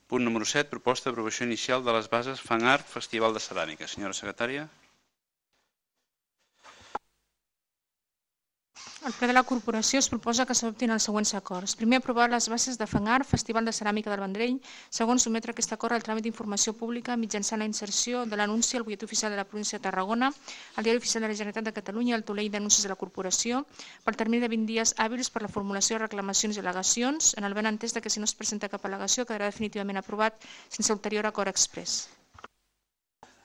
Punt número 7, proposta d'aprovació inicial de les bases FanArt Festival de Ceràmica. Senyora secretària. Al ple de la corporació es proposa que s'adoptin els següents acords. Primer, aprovar les bases de FanArt Festival de Ceràmica del Vendrell. Segon, sotmetre aquest acord al tràmit d'informació pública mitjançant la inserció de l'anunci al butlletí oficial de la província de Tarragona, al diari oficial de la Generalitat de Catalunya i al taulell d'anuncis de la corporació per termini de 20 dies hàbils per la formulació de reclamacions i al·legacions, en el benentès que si no es presenta cap al·legació quedarà definitivament aprovat sense ulterior acord exprés.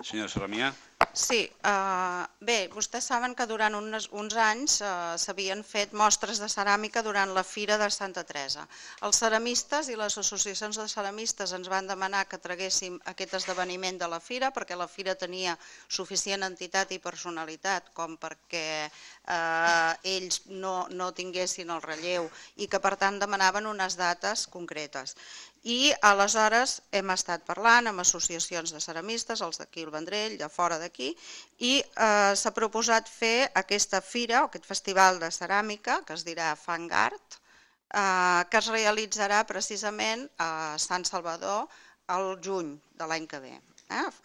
Senyora Saramià. Sí, bé, vostès saben que durant uns anys s'havien fet mostres de ceràmica durant la Fira de Santa Teresa. Els ceramistes i les associacions de ceramistes ens van demanar que traguéssim aquest esdeveniment de la Fira perquè la Fira tenia suficient entitat i personalitat com perquè ells no tinguessin el relleu i que per tant demanaven unes dates concretes. I aleshores hem estat parlant amb associacions de ceramistes, els d'aquí al Vendrell, de fora d'aquí, i s'ha proposat fer aquesta fira, o aquest festival de ceràmica, que es dirà FanArt, que es realitzarà precisament a Sant Salvador al juny de l'any que ve,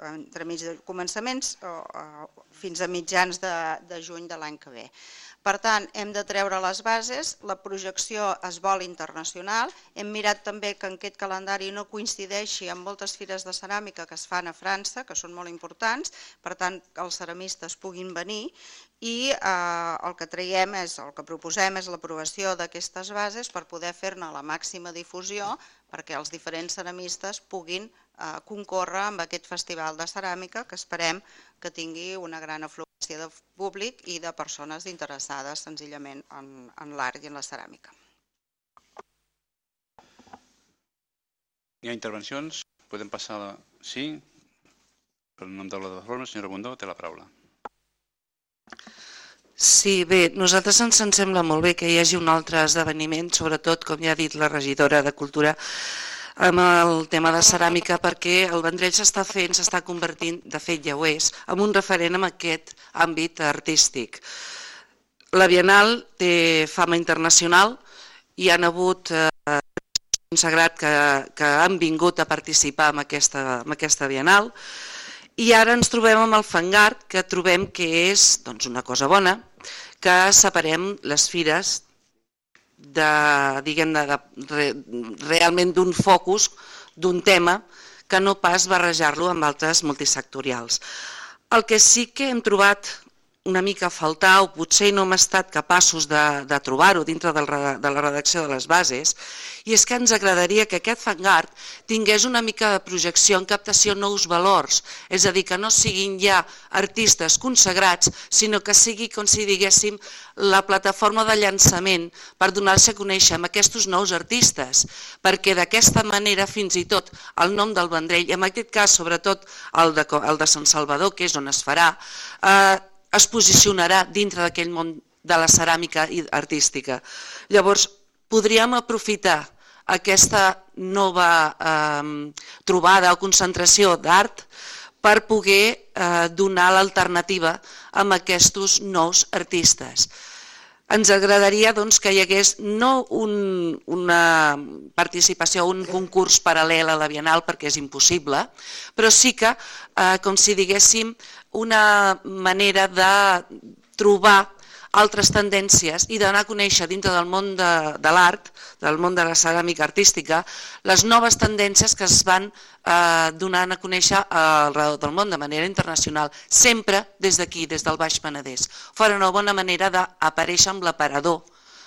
entre mig de començaments fins a mitjans de juny de l'any que ve. Per tant, hem de treure les bases, la projecció es vol internacional, hem mirat també que aquest calendari no coincideixi amb moltes fires de ceràmica que es fan a França, que són molt importants, per tant, que els ceramistes puguin venir i el que traiem el que proposem és l'aprovació d'aquestes bases per poder fer-ne la màxima difusió perquè els diferents ceramistes puguin concórrer amb aquest festival de ceràmica que esperem que tingui una gran afluència de públic i de persones interessades senzillament en l'art i en la ceràmica. Hi ha intervencions? Podem passar a la... Sí? Per nom de la plataforma, senyora Bundó, té la paraula. Sí, bé, nosaltres ens sembla molt bé que hi hagi un altre esdeveniment, sobretot, com ja ha dit la regidora de Cultura, amb el tema de ceràmica, perquè el Vendrell s'està convertint, de fet ja ho és, en un referent en aquest àmbit artístic. La Bienal té fama internacional, hi han hagut consagrat que han vingut a participar en aquesta Bienal, i ara ens trobem amb el FanArt, que trobem que és una cosa bona, que separem les fires realment d'un focus, d'un tema, que no pas barrejar-lo amb altres multisectorials. El que sí que hem trobat una mica a faltar, o potser no hem estat capaços de trobar-ho dintre de la redacció de les bases, i és que ens agradaria que aquest FanArt tingués una mica de projecció en captació de nous valors, és a dir, que no siguin ja artistes consagrats, sinó que sigui, com si diguéssim, la plataforma de llançament per donar-se a conèixer amb aquests nous artistes, perquè d'aquesta manera fins i tot el nom del Vendrell, en aquest cas sobretot el de Sant Salvador, que és on es farà, es posicionarà dintre d'aquell món de la ceràmica artística. Llavors, podríem aprofitar aquesta nova trobada o concentració d'art per poder donar l'alternativa a aquests nous artistes. Ens agradaria que hi hagués no una participació, un concurs paral·lel a la Bienal, perquè és impossible, però sí que, com si diguéssim, una manera de trobar altres tendències i d'anar a conèixer dintre del món de l'art, del món de la ceràmica artística, les noves tendències que es van donant a conèixer arreu del món de manera internacional, sempre des d'aquí, des del Baix Penedès. Fora una bona manera d'aparèixer amb l'aparador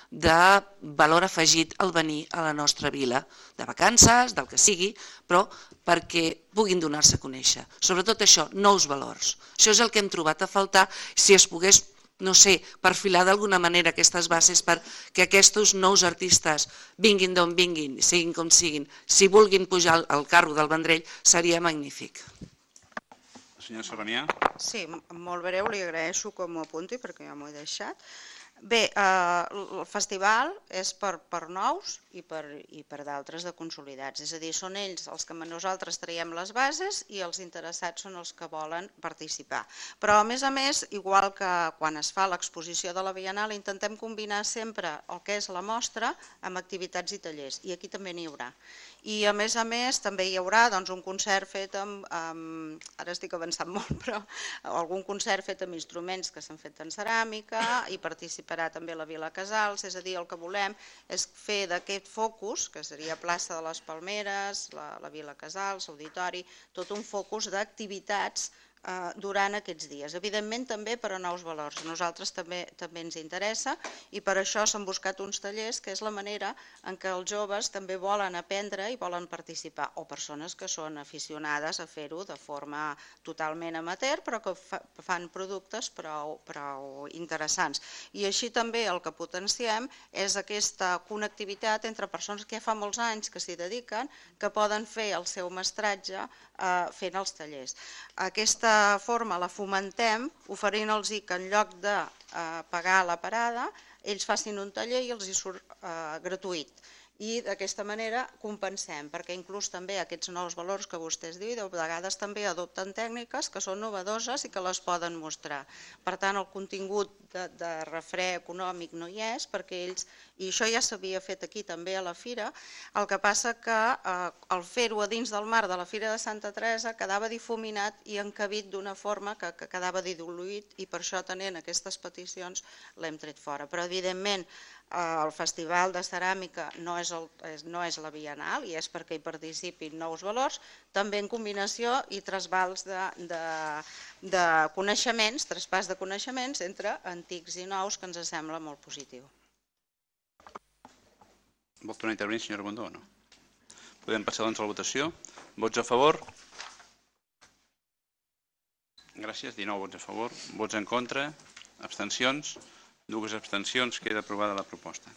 de valor afegit al venir a la nostra vila, de vacances, del que sigui, però perquè puguin donar-se a conèixer. Sobretot això, nous valors. Això és el que hem trobat a faltar, si es pogués, no sé, perfilar d'alguna manera aquestes bases perquè aquests nous artistes vinguin d'on vinguin, siguin com siguin, si vulguin pujar al carro del Vendrell, seria magnífic. Senyora Saramià. Sí, molt breu, li agraeixo que m'ho apunti perquè ja m'ho he deixat. Bé, el festival és per nous i per d'altres de consolidats, és a dir, són ells els que nosaltres traiem les bases i els interessats són els que volen participar. Però a més, igual que quan es fa l'exposició de la Bienal, intentem combinar sempre el que és la mostra amb activitats i tallers, i aquí també n'hi haurà. I a més també hi haurà un concert fet amb, ara estic avançant molt, però algun concert fet amb instruments que s'han fet en ceràmica, i participarà també la Vila Casals, és a dir, el que volem és fer d'aquest focus, que seria plaça de les Palmeres, la Vila Casals, l'Auditori, tot un focus d'activitats durant aquests dies. Evidentment també per a nous valors. A nosaltres també ens interessa i per això s'han buscat uns tallers, que és la manera en què els joves també volen aprendre i volen participar, o persones que són aficionades a fer-ho de forma totalment amateur, però que fan productes prou interessants. I així també el que potenciem és aquesta connectivitat entre persones que ja fa molts anys que s'hi dediquen, que poden fer el seu mestratge fent els tallers. Aquesta forma la fomentem oferint-los que en lloc de pagar la parada ells facin un taller i els hi surt gratuït. I d'aquesta manera compensem, perquè inclús també aquests nous valors que vostès diuen, de vegades també adopten tècniques que són novedoses i que les poden mostrar. Per tant, el contingut de refrè econòmic no hi és, perquè ells, i això ja s'havia fet aquí també a la Fira, el que passa que al fer-ho a dins del marc de la Fira de Santa Teresa quedava difuminat i encabit d'una forma que quedava diluït, i per això tenint aquestes peticions l'hem tret fora. Però evidentment el Festival de Ceràmica no és la Bienal i és perquè hi participin nous valors, també en combinació i trasbals de coneixements, traspàs de coneixements entre antics i nous, que ens sembla molt positiu. Vol tornar a intervenir, senyora Bundó, o no? Podem passar doncs a la votació. Vots a favor? Gràcies. 19 vots a favor. Vots en contra? Abstencions? 2 abstencions. Queda aprovada la proposta.